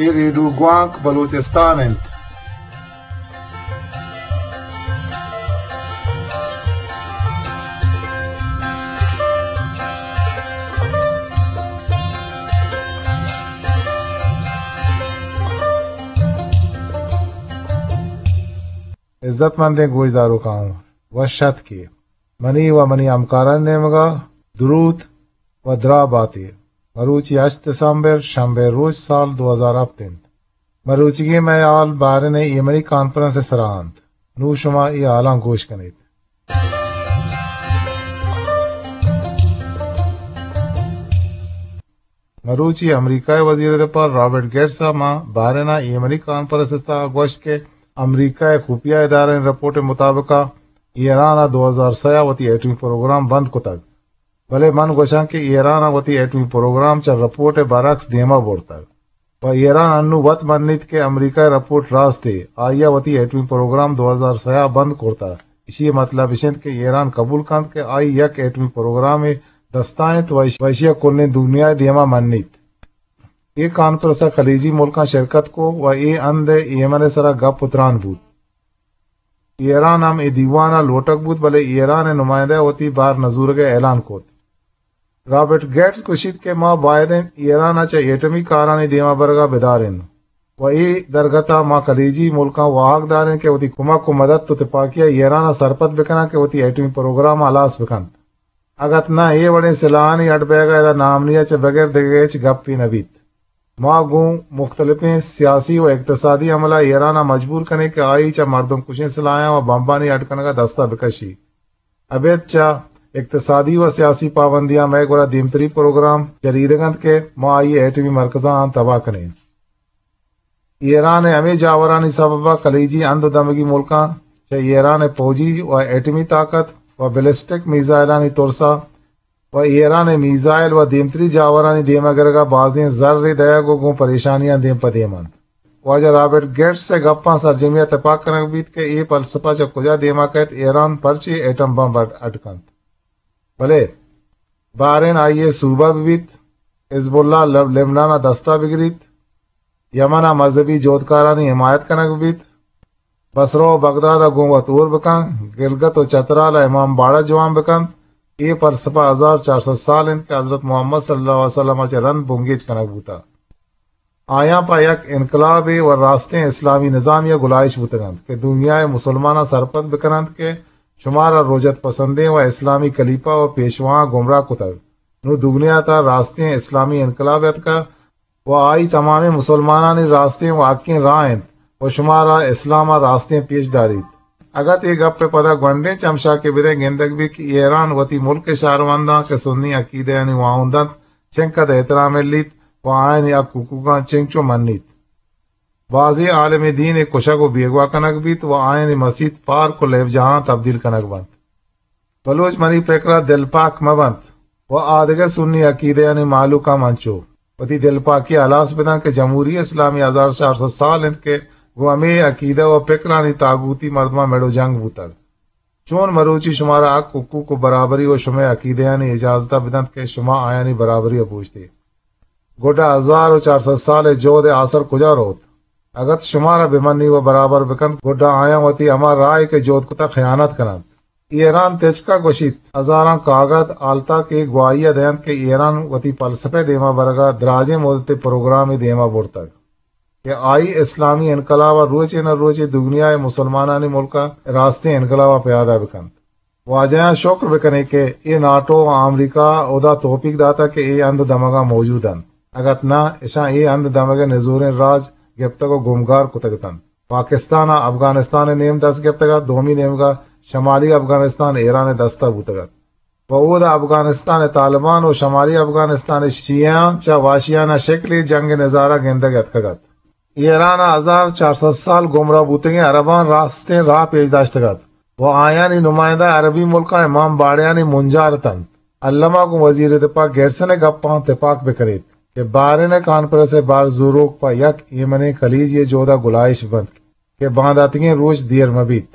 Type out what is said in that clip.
اے ریڈیو گوانک بلوچستان انت۔ عزت مندیں گوشداروکاں، وش اتکے۔ منی و منی ہمکارانی نیمگا دروت و دراہ باتے۔ مروچی ہشت دسمبر، شنبے روچ، سال دو ہزار ہفت انت۔ مروچیگیں مئے ہال بحرین ء ایمنی کانفرنس ء سرا انت۔ نوں شما اے ہالاں گوش کنیت۔ مروچی امریکہ ء وزیر دفاع رابرٹ گیٹس ء ماں بحرین ء ایمنی کانفرنس ء تہا گوشت کہ امریکہ ء خفیہ ادارہانی رپورٹ ء مطابق ء ایران ء دو ہزار سئے ء وتی ایٹمی پروگرام بند کتگ، بلے من گوشاں کہ ایران ء وتی ایٹمی پروگرام چہ رپورٹ ء برعکس دیما برتگ۔ پہ ایران انوں وت منیت کہ امریکہ ء رپورٹ راستے، آئی ء وتی ایٹمی پروگرام دو ہزار سئے ء بند کرتہ۔ ایشی ء مطلب اش انت کہ ایران قبول کنت کہ آئی یک ایٹمی پروگرامے دستا انت و ایش-، و ایشی ء کلیں دنیا ء دیما منیت۔ اے کانفرنس ء خلیجی ملکاں شرکت کو و اے ہند ء ایمن ء سرا گپ و تران بوت۔ ایران ہم اے دیوان ء لوٹگ بوت، بلے ایران ء نمائندہ ء وتی بار نزورگ ء اعلان کت۔ رابرٹ گیٹس گوشیت کہ ما باید انت ایران ء چہ ایٹمی کارانی دیما برگ ء بدارین و اے درگت ء ما خلیجی ملکاں واہگ دارین کہ وتی کمک و مدد و تپاکی ء ایران ء سرپد بکناں کہ وتی ایٹمی پروگرام ء ہلاس بکنت۔ اگت نہ اے وڑیں سلاہانی اڈ بیگ ء ادا نامنی ء چہ بغیر دگہ ہچ گپے نہ بیت۔ ما گوں مختلفیں سیاسی و اقتصادی عمل ء ایران ء مجبور کنیں کہ آئی چہ مردم کشیں سلاہاں و بمبانی اڈ کنگ ء دست ء بکشی۔ ابید چہ اقتصادی و سیاسی پابندیاں مئے گورا دیمتری پروگرام چریدگ انت کہ ما آئی ایٹمی مرکزاں تباہ کنیں۔ ایران ء ہمے جاورانی سبب ء خلیجی ہند و دمگی ملکاں چہ ایران ء پوجی و ایٹمی طاقت و بیلسٹک میزائلانی ترس ء و ایران ء میزائل و دیمتری جاورانی دیما گرگ ء بازیں زر دئیگ و گوں پریشانیاں دیم پہ دیم انت۔ واجہ رابرٹ گیٹس ء گپاں سرجمی ء تپاک کنگ بیت کہ اے فلسفہ چہ کجا دیما کئیت، ایران پرچے ایٹم بمب اڈ، اڈ کنت؟ بلے بحرین آئی ء صوبہ بہ بیت، حزب اللہ لب-، لبنان ء دستا بگریت، یمن ء مذہبی جہدکارانی حمایت کنگ بیت، بصرہ و بغداد ء گوں وت ہور بکن، گلگت و چترال ء امام باڑہ جوان بکنت، اے فلسفہ ہزار چار سد سال انت کہ حضرت محمد صلی اللہ علیہ وسلم ء چہ رند بنگیج کنگ بوتہ۔ آیاں پہ یک انقلابے و راستیں اسلامی نظامے ء گلائیش بوتگ انت کہ دنیا ء مسلماناں سرپد بکن انت کہ شمارا رجعت پسندیں و اسلامی کلیپہ و پیشواہاں گمراہ کتگ۔ نوں دگنیا ء تہا راستیں اسلامی انقلاب اتکہ و آئی تمامیں مسلمانانی راستیں و حقیں راہ انت و شمارا اسلام ء راستیں پیش داریت۔ اگت اے گپ ء پدا گونڈیں چمشاکے بدئے، گندگ بیت کہ ایران وتی ملک ء شہرونداں کہ سنی عقیدہانی واہند انت، چنکد احترام الیت و آیانی حق حقوقاں چنچو منیت۔ بازیں عالم دین ء کشگ و بیگواہ کنگ بیت و آیانی مسیت، پارک و لیبجاہاں تبدیل کنگ بنت۔ بلوچ منی پکر ء دلپاک مہ بنت و آدگہ سنی عقیدہانی مہلوک ہم انچو وتی دلپاکی ء ہلاس بدنت کہ جمہوری اسلامی ہزار چار سد سال انت کہ گوں ہمے عقیدہ و پکرانی طاغوتی مردماں مڑ و جنگ بوتگ۔ چون مروچی شمارا حق، حقوق و برابری و شمئے عقیدہانی اجازت ء بدنت کہ شما آیانی برابری ء بوشتے؟ گڈا ہزار و چار سد سال ء جہد ء آسر کجا روت؟ اگت شمارا بہ منی و برابر بکنت، گڈا آیاں وتی ہما راہے کہ جہد کتگ خیانت کننت۔ ایران تچک ء گوشیت، ہزاراں کاگد، حالتاک اے گواہی ء دینت کہ ایران وتی فلسفہ ء دیما برگ ء دراجیں مدت ء پروگرامے دیما برتگ کہ آئی اسلامی انقلاب ء روچے نہ روچے دگنیا ء مسلمانانی ملک ء راستیں انقلاب ء پیادہ بکنت۔ واجہاں شکر بکنیں کہ اے ناٹو و آمریکہ ہدا توفیق داتگ کہ اے ہند دمگاں موجود انت، اگت نہ اشاں اے ہند دمگ ء نزوریں راج گپتگ و گمگار کتگ اتنت۔ پاکستان ء افغانستان ء نیم دست گپتگ ات، دومی نیمگ ء شمالی افغانستان ایران ء دست ء بوتگ ات و اودا افغانستان ء طالبان و شمالی افغانستان ء شیعیاں چہ وحشیانہ شکلے جنگ ء نظارہ گندگ ء اتکگ ات۔ ایران ء ہزار چار سد سال گمراہ بوتگیں عرباں راستیں راہ پیش داشتگ ات و آیانی نمائندہ عربی ملکاں امام باڑیانی منجار اتنت۔ الما گوں وزیر دفاع گیٹسن ء گپاں تپاک بہ کنیت کہ بحرین ء کانفرنس ء بار زوروک پہ یک ایمنیں خلیجی ء جہد ء گلائیش بنت کہ بانداتگیں روچ دیر مہ بیت۔